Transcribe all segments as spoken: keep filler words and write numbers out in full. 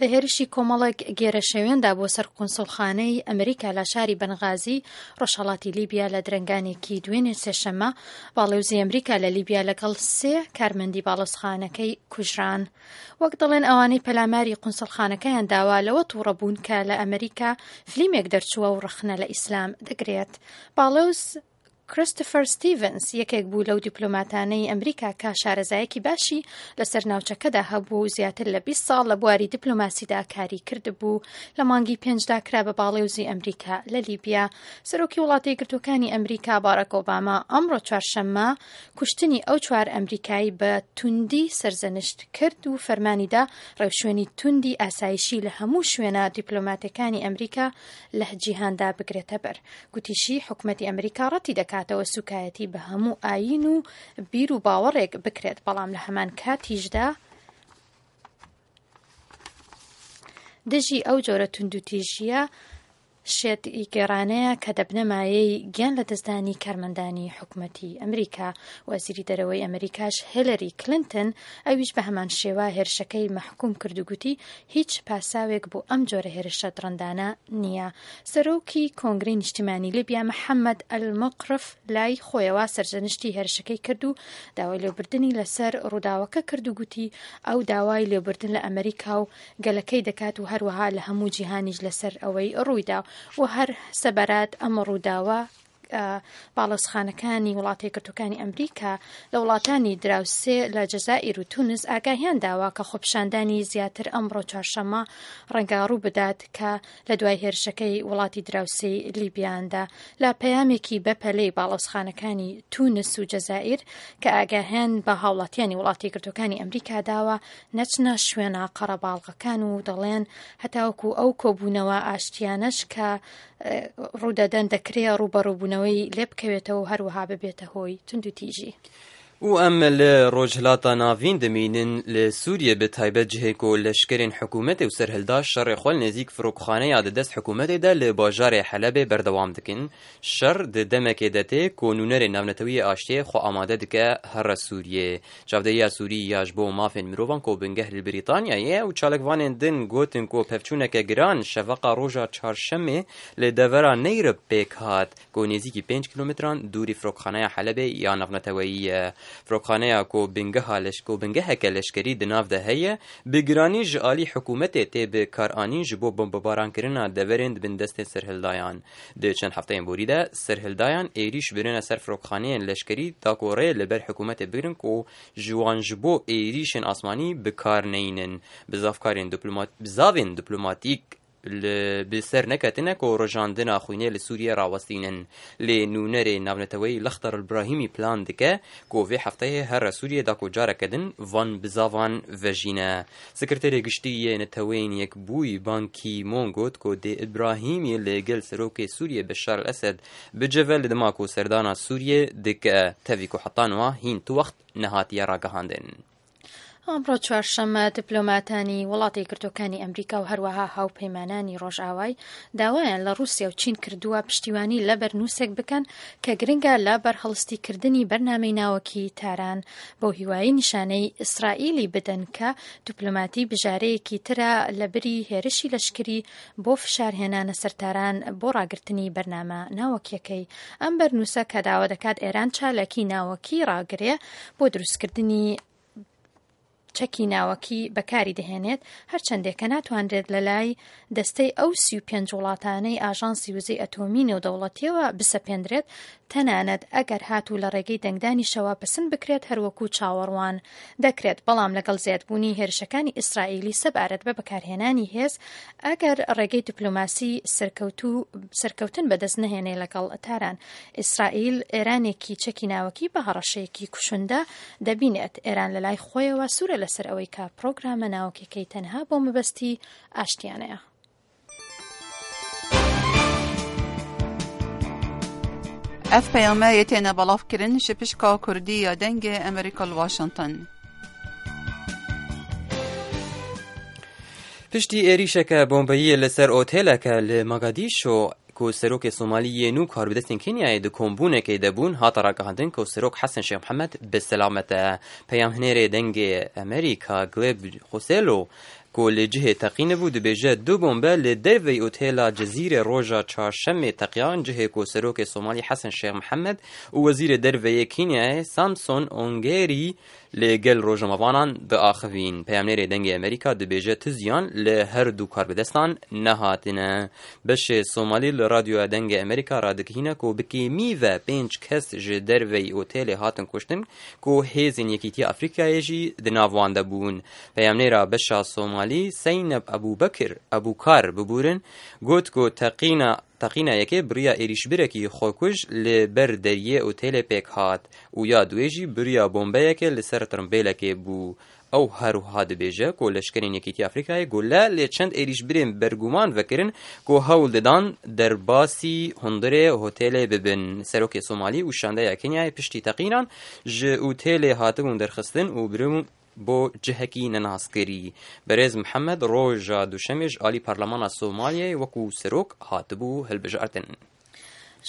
لە هێرشی کۆمەڵێک گێرەشێوێندا بۆ سەر قونسڵخانەی ئەمریکا لە شاری بەنغازی ڕۆژهەڵاتی لیبیا لە درەنگانێکی دوێنێ سێشەممە، باڵێوزی ئەمریکا لە لیبیا لەگەڵ سێ کارمەندی باڵۆزخانەکەی کوژران. وەک دەڵێن ئەوانەی پەلاماری قونسڵخانەکەیان داوا لەوە تووڕە بوون کە لە ئەمریکا فلیمێک دەرچووە و ڕەخنە لە ئیسلام دەگرێت. باڵێوز کریستۆفەر ستیڤنس یەکێک بوو لەو دیپلۆماتانەی ئەمریکا کە شارەزایەکی باشی لەسەر ناوچەکەدا هەبوو و زیاتر لە بیست ساڵ لە بواری دیپلۆماسیدا کاری کردبوو. لە مانگی پێنجدا کرا بە باڵێوزی ئەمریکا لە لیبیا. سەرۆکی وڵاتە یەکگرتووەکانی ئەمریکا باراک ئۆباما ئەمڕۆ چوارشەممە کوشتنی ئەو چوار ئەمریکایی بە توندی سەرزەنشت کرد و فەرمانیدا ڕێوشوێنی توندی ئاسایشی لە هەموو شوێنە دیپلۆماتەکانی ئەمریکا لە جیهاندا بگرێتە بەر. گوتیشی حکومەتی ئەمریکا ڕەتی دەکاتەوە سوکایەتی بە هەموو ئایین و بیر و باوەڕێک بکرێت، بەڵام لە هەمان کاتیشدا دژی ئەو جۆرە توندوتیژیە شێت گێڕانەیە کە دەبنە مایەی گیان لە دەستدانی کارمەندانی حکومەتی ئەمریکا. وەزیری دەرەوەی ئەمریکاش هێلەری کلینتن ئەویش بە هەمان شێوە هێرشەکەی مەحکوم کرد و گوتی هیچ پاساوێک بۆ ئەم جۆرە هێرشە دڕندانە نییە. سەرۆکی کۆنگرەی نیشتیمانی لیبیا محەممەد ئەلمقرف لای خۆیەوە سەرزەنشتی هێرشەکەی کرد و داوای لێبوردنی لەسەر ڕووداوەکە کرد و گوتی ئەو داوای لێبوردن لە ئەمریکا و گەلەکەی دەکات و هەروەها لە هەموو جیهانیش لەسەر ئەوەی ڕوویدا. و هەر سەبارەت ئەم ڕووداوە باڵۆزخانەکانی وڵاتە یەکگرتووەکانی ئەمریکا لە وڵاتانی دراوسێ لە جەزائیر و تونس ئاگاهیان داوە کە خۆپیشاندانی زیاتر ئەمڕۆ چوارشەممە ڕەنگە ڕوو بدات کە لە دوای هێرشەکەی وڵاتی دراوسێی لیبیاندا. لە پەیامێکی بەپەلەی باڵۆزخانەکانی تونس و جەزائیر کە ئاگاهیان بە هاوڵاتیانی وڵاتی یەکگرتووەکانی ئەمریکا داوە نەچنە شوێنە قەرەباڵغەکان و دەڵێن هەتاوەکو ئەو کۆبوونەوە ئاشتیانەش کە ڕوودەدەن دەکرێ ڕووبەڕووبوونەوەی لێ بکەوێتەوە و هەروەها ببێتە هۆی توندوتیژی. و ئەم لە ڕۆژهەڵاتا ناڤین دەمینن لە سووریە بە تایبەت جهێ و لەشکرێن حکوومەتێ و سەرهەلدا شەڕێ خوە نێزیک فڕۆکخانەیا دە دەست حکوومەتێ دە لە باژارێ حەلەبێ بەردەوام دکن. شەڕ دە دەمێکێ دەتێ کۆ نوونەرێ ناونەتەویە ئاشتیێ خۆ ئامادە دکە هەڕە سووریێ. چاودێرییا سووری یاش بۆ مافێن مرۆڤان کۆ بنگەه li بریتانیایێ و çalekvanên din gotin ku pevçûneke giran şeveqa roja çarşemê li devera Neyrib pêk hat ku nêzîkî pênc kîlometran dûrî firokxaneya Helebê ya navneteweyî ye. Firokxaneya ku bingeha leşko bingeheke leşkerî di nav de heye bi giranî ji alî hikûmetê tê bi karanîn ji bo bombebarankirina deverên di bin destên serhildayan. Di çend hefteyên borî de serhildayan êrîş birine ser firokxaneyên leşkerî da ku rê li ber hikûmetê bigirin ku ji wan ji bo êrîşên asmanî bi kar neynin. Bizavkarên diplomat bizavên diplomatîk bi ser neketine ku rojandina xwînê li Sûriye rawestînin. Lê nûnerê navneteweyî Lextar Ibrahîmî plan dike ku vê hefteyê here Sûriye da ku careke din van bizavan vejîne. Sekreterê Giştî yê Neteweyên Yekbûyî Ban Ki-moon got ku dê Ibrahîmî li gel serokê Sûriye Beşar el-Esed biceve li dema ku serdana Sûriye dike tevî ku heta niha hîn tu wext nehatiye ragihandin. ئەمڕۆ چوارشەممە دیپلۆماتانی وڵاتە یەکگرتووەکانی ئەمریکا و هەروەها هاوپەیمانانی ڕۆژئاوای داوایان لە ڕووسیا و چین کردووە پشتیوانی لە بەرنووسێک بکەن کە گرنگە لە بەرهەڵستیکردنی بەرنامەی ناوەکی تاران بۆ هیوایی نیشانەی ئیسرائیلی بدەن کە دیپلۆماتی بژارەیەکی ترە لە بری هێرشی لەشکری بۆ فشارهێنانە سەر تاران بۆ ڕاگرتنی بەرنامە ناوەکیەکەی. ئەم بەرنووسە کە داوا دەکات ئێران چالاکی ناوەکی ڕاگرێ بۆ دروستکردنی چەکی ناوەکی بەکاری دەهێنێت، هەرچەندێکە ناتوانرێت لە لای دەستەی ئەو سی و پێنج وڵاتانەی ئاژانسی وزەی ئەتۆمی نێودەوڵەتیەوە بسەپێندرێت، تەنانەت ئەگەر هاتوو لە ڕێگەی دەنگدانیشەوە پسند بکرێت هەروەکو چاوەڕوان دەکرێت. بەڵام لەگەڵ زیادبوونی هێرشەکانی ئیسرائیلی سەبارەت بە بەکارهێنانی هێز، ئەگەر ڕێگەی دیپلۆماسی سەرکەوتن بەدەست نەهێنێ لەگەڵ تاران، ئیسرائیل ئێرانێکی چەکی ناوەکی بە هەڕەشەیەکی کوشندە دەبینێت. ئێران لە لای خۆیەوە سوورە لەسەر ئەوەی کە پرۆگرامە ناوەکیەکەی تەنها بۆ مەبەستی ئاشتیانەیە. ئەف پەیامە یەتێنە بەڵاوکردن ji pişka Kurdî ya Dengê Amerîka li Washington. Piştî êrîşeke bombeyiyê li ser oteleke li Mogadîşo ku serokê Somalî yê nû karbidestên Kenyayê di kombûnekê de bûn, hate ragihandin ku serok Hesen Şêx Mihemed bi selamet e. Peyamhinêrê Dengê Amerîka Gleb Xoselo ku li cihê teqîne bû dibêje du bombe li derveyî otêla Cezîrê roja çarşemê teqiyan cihê ku Serokê Somalî Hesen Şêx Mihemed û Wezîrê Derveyê Kenyayê Samson Ongeri li gel rojnamevanan diaxivîn. Peyamnêrê Dengê Amerîka dibêje tu ziyan li her du karbidestan nehatine. Beşê Somalî li Radyoya Dengê Amerîka radigihîne ku bi kêmî ve pênc kes ji derveyî otêlê hatin kuştin ku hêzên Yekîtiya Afrîkayê jî di nav wan de bûn. Peyamnêra beşa Somalî Seyneb Ebûbekir Ebûkar bibûrin got ku teqîna teqîna yekê biriya êrîşbirekî xwekuj li ber deriyê otêlê pêk hat û ya duê jî biriya bombeyekê li ser tirimbêlekê bû. Ew her wiha dibêje ku leşkerên Yekîtiya Afrîkayê gule li çend êrîşbirên berguman vekirin ku hewl didan derbasî hundirê hotêlê bibin. Serokê Somalî û şandeya Kenyayê piştî teqînan ji otêlê hatibûn derxistin û biribûn bo cihekî nenaskirî. Berêz Mihemed roja duşemê ji alî Parlemana Somaliyê wekû serok hatibû hilbijartin.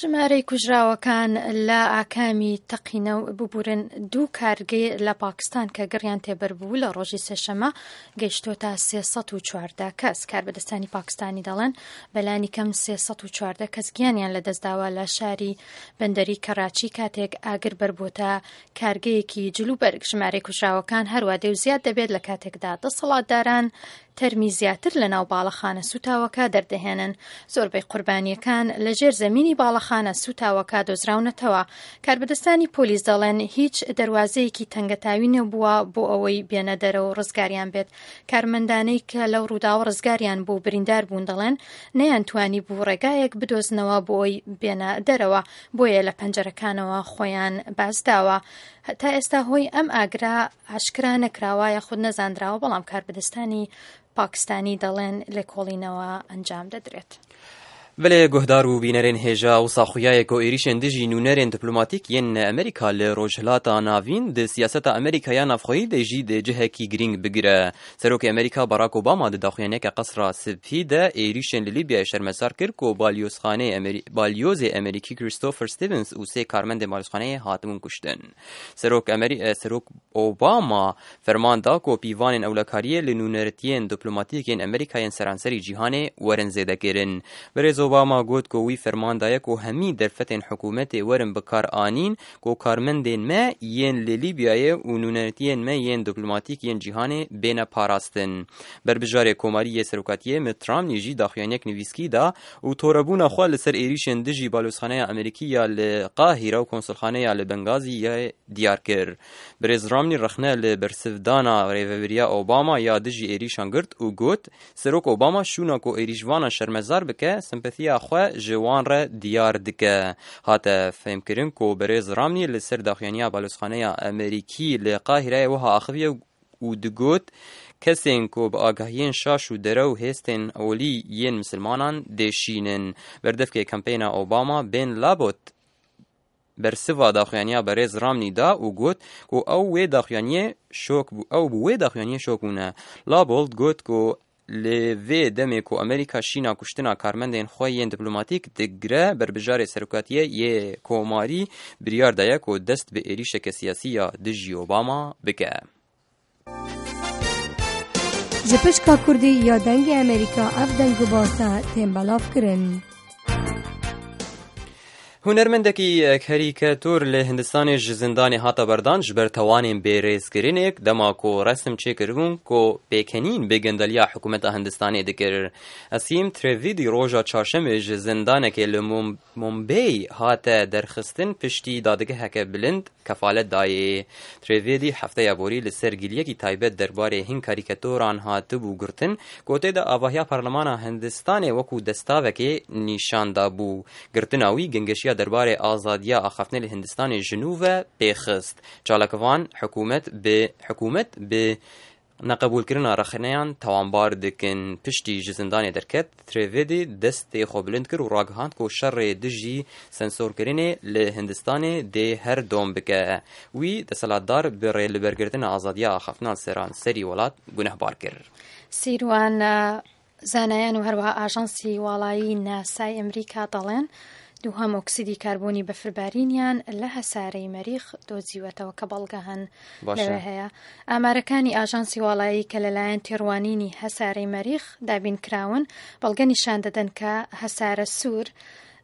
ژمارەی کوژراوەکان لە ئاکامی تەقینە ببورن دوو کارگەی لە پاکستان کە گڕیان تێبەر بوو لە ڕۆژی سێشەمە گەیشتۆتە سێ سەد و چواردە کەس. کاربەدەستانی پاکستانی دەڵێن بەلانی کەم سێ سەد و چواردە کەس گیانیان لەدەستداوە لە شاری بەندەری کەراچی کاتێک ئاگر بەربووتە کارگەیەکی جلوبەرگ. ژمارەی کوژراوەکان هەروە دێ و زیاد دەبێت لە کاتێکدا دەسەڵاتداران تەرمی زیاتر لە ناو باڵەخانە سوتاوەکە دەردەهێنن. زۆربەی قوربانیەکان لە ژێر زەمینی باڵەخانە سوتاوەکە دۆزراونەتەوە. کاربەدەستانی پۆلیس دەڵێن هیچ دەروازەیەکی تەنگەتاوی نەبووە بۆ ئەوەی بێنە دەرەوە ڕزگاریان بێت. کارمەندانەی کە لەو ڕووداوە ڕزگاریان بۆ بریندار بوون دەڵێن نەیانتوانی بوو ڕێگایەک بدۆزنەوە بۆ ئەوەی بێنە دەرەوە، بۆیە لە پەنجەرەکانەوە خۆیان بازداوە. تا ئێستا هۆی ئەم ئاگرا ئاشکرا نەکراوە یاخود نەزاندراوە، بەڵام کاربەدەستانی پاکستانی دەڵێن لێکۆڵینەوە ئەنجام دەدرێت. بەلێ گوهدار و بینەرên hêja wisa xuyayê ku êrîşên dijî nûnerên diplomatîk yên Amerîka li Rojhilata Navîn di siyaseta Amerîka ya navxweyî de jî di cihekî girîng bigire. Serokê Amerîka Barack Obama di daxuyaniyeke Qesra Spî de êrîşên li Lîbyayê şermezar kir ku balyozxaneyê balyozê Amerîkî Christopher Stevens û sê karmendên balyozxaneyê hatibûn kuştin. Serok Amerî Serok Obama ferman da ku pîvanên ewlekariyê li nûnertiyên diplomatîk yên Amerîka yên seranserî cîhanê werin zêdekirin. Berêz Obama got ku wî ferman daye ku hemî derfetên hikûmetê werin bikar anîn ku karmendên me yên li Lîbyayê û nûnertiyên me yên diplomatîk yên cîhanê bêne parastin. Berbijarê Komarî yê Serokatiyê Mitt Romney jî daxuyaniyek nivîskî da û torebûna xwe li ser êrîşên dijî balyozxaneya Amerîkî ya li Qahîre û konsulxaneya li Bengaziyê diyar kir. Birêz Romney rexne li bersivdana rêveberiya Obama ya dijî êrîşan girt û got Serok Obama şûna ku êrîşvanan şermezar bike sempatiya xwe ji wan re diyar dike. Hate fêmkirin ku Berêz Romney li ser daxuyaniya balyozxaneya Amerîkî li Qahîreyê wiha axiviye û digot kesên ku bi agahiyên şaş û derew hêstên olî yên misilmanan dêşînin. Berdevkê kampeyna Obama Ben Labot bersiva daxuyaniya Berêz Romney da û got ku ew wê daxuyaniyê şok bû ew bi wê daxuyaniyê şok bûne. Labold got ku li vê demê ku Amerîka şîna kuştina karmendên xwe yên diplomatîk digire berbijarê serokatiyê yê Komarî biryar daye ku dest bi êrîşeke siyasî ya dijî Obama bike. Ji pişka Kurdî ya Dengê Amerîka ev deng û basa tên belav kirin. Hunermendekî karîkatur li Hindistanê ji zindanê hate berdan ji ber tawanên bêrêzkirinê dema ku resim çêkiribûn ku pêkenîn bi gendeliya hikûmeta Hindistanê dikir. Esîm Trevîdî roja çarşemê ji zindanekê li Mumbay hate derxistin piştî dadgeheke bilind kefalet dayê. Trevîdî hefteya borî li ser giliyekî taybet derbarê hin karîkaturan hatibû girtin ku tê de avahiya Parlemana Hindistanê wekû destavekê nîşan dabû. Girtina wî gengeşiya derbarê azadiya axaftinê li Hindistanê ji nû ve pêxist. Çalakvan hikûmet bi hikûmet bi neqebûlkirina rexneyan tawanbar dikin. Piştî ji zindanê derket, Trevêdî destê xwe bilind kir û ragihand ku şerê dijî sensorkirinê li Hindistanê dê her dom bike. Wî desthilatdar bi rêlibergirtina azadiya axaftina seranserî welat gunehbar kir. سیروان زانایان و هەروەها ئاژانسی واڵایی ناسای ئەمریکا دەڵێن دووهەم ئۆکسیدی کاربۆنی بەفربارینیان لە هەسارەی مەریخ دۆزیوەتەوە کە بەڵگە هەن لەوێ هەیە. ئامارەکانی ئاژانسی واڵایی کە لەلایەن تێڕوانینی هەسارەی مەریخ دابین کراون بەڵگە نیشان دەدەن کە هەسارە سوور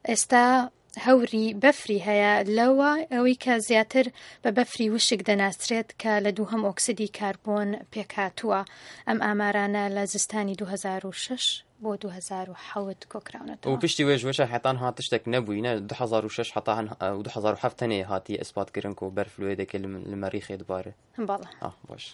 ئێستا هەوری بەفری هەیە لەوە ئەوەی کە زیاتر بە بەفری وشک دەناسرێت کە لە دووهەم ئۆکسیدی کاربۆن پێکهاتووە. ئەم ئامارانە لە زستانی دوو هەزار و شەش بۆ دوو هەزار و حەوت کۆکراونەتەوە. و پشتی وێژ وەشە حتان هات شتێک نەبووی نە دوو هەزار و شەش حتا هەن و دوو هەزار و حەفت تەنێ هاتی ئیسپات کردن کۆ بەرف لێ دەکە لە مەریخێ دوبارە. بەڵێ. آه، باش.